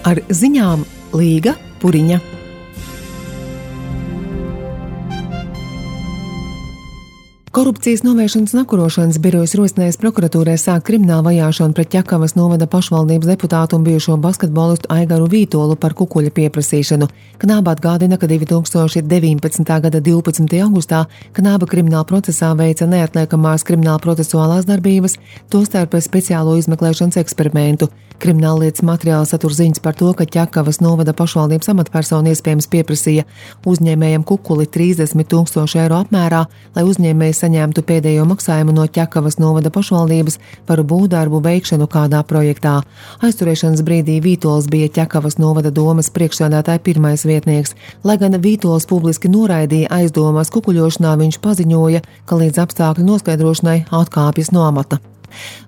Ar ziņām Līga Puriņa. Korupcijas novēršanas un apkarošanas birojas rosinājis prokuratūrai sākt kriminālu vajāšanu pret Ķekavas novada pašvaldības deputātu un bijušo basketbolistu Aigaru Vītolu par kukuļa pieprasīšanu. Knāba atgādina, ka 2019. gada 12. augustā Knāba krimināla procesā veica neatliekamās krimināla procesuālās darbības, tostarp speciālo izmeklēšanas eksperimentu. Krimināllietas materiāli satur ziņas par to, ka Ķekavas novada pašvaldības amatpersona iespējams pieprasīja uzņēmējam kukuli 30,000 eiro apmērā, lai uzņēmējs saņemtu pēdējo maksājumu no Ķekavas novada pašvaldības par būvdarbu veikšanu kādā projektā. Aizturēšanas brīdī Vītols bija Ķekavas novada domas priekšsēdētāja pirmais vietnieks. Lai gan Vītols publiski noraidīja aizdomas kukuļošanā, viņš paziņoja, ka līdz apstākļu noskaidrošanai atkāpjas no amata.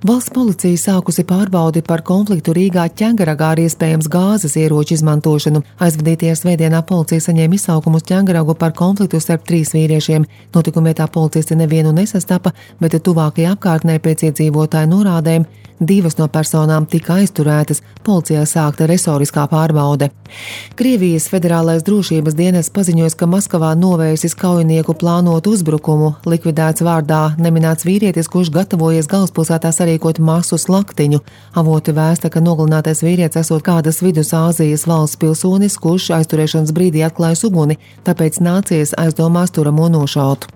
Valsts policija sākusi pārbaudi par konfliktu Rīgā Ķengaragā ar iespējams gāzes ieroču izmantošanu. Aizvadītajā svētdienā policija saņēma izsaukumu uz Ķengaragu par konfliktu starp 3 vīriešiem. Notikuma vietā policisti nevienu nesastapa, bet tuvākajā apkārtnē pēc iedzīvotāju norādēm 2 no personām tika aizturētas, policijā sākta resoriskā pārbaude. Krievijas federālais drošības dienests paziņoja, ka Maskavā novērsis kaujinieku plānotu uzbrukumu. Likvidēts vārdā neminēts vīrietis, kurš gatavojies galvaspilsētā sarīkot masu slaktiņu. Avoti vēsta, ka nogalinātais vīrietis esot kādas Vidusāzijas valsts pilsonis, kurš aizturēšanas brīdī atklājas uguni, tāpēc nācies aizdomās turamo nošaut.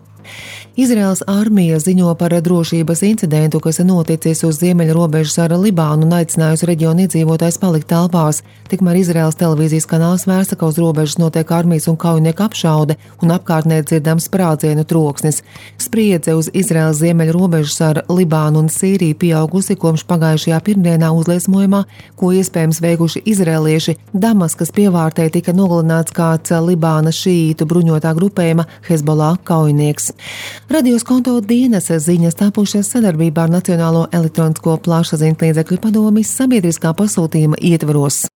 Izraēlas armija ziņo par drošības incidentu, kas noticis uz ziemeļu robežas ar Libānu un aicinājusi reģionu iedzīvotājus palikt telpās. Tikmēr Izraēlas televīzijas kanāls vēsta, ka uz robežas notiek armijas un kaujinieku apšaude un apkārtnē dzirdams sprādzienu troksnis. Spriedze uz Izraēlas ziemeļu robežas ar Libānu un Sīriju pieaugusi kopš pagājušajā pirmdienā uzliesmojumā, ko iespējams veikuši izraēlieši. Damaskas pievārtē tika nogalināts kāds Libānas šīītu bruņotā grupējuma Hezbollah kaujinieks. Radios konto dienas ziņas tapušas sadarbībā ar Nacionālo elektronisko plašsaziņas līdzekļu padomes sabiedriskā pasūtījuma ietvaros.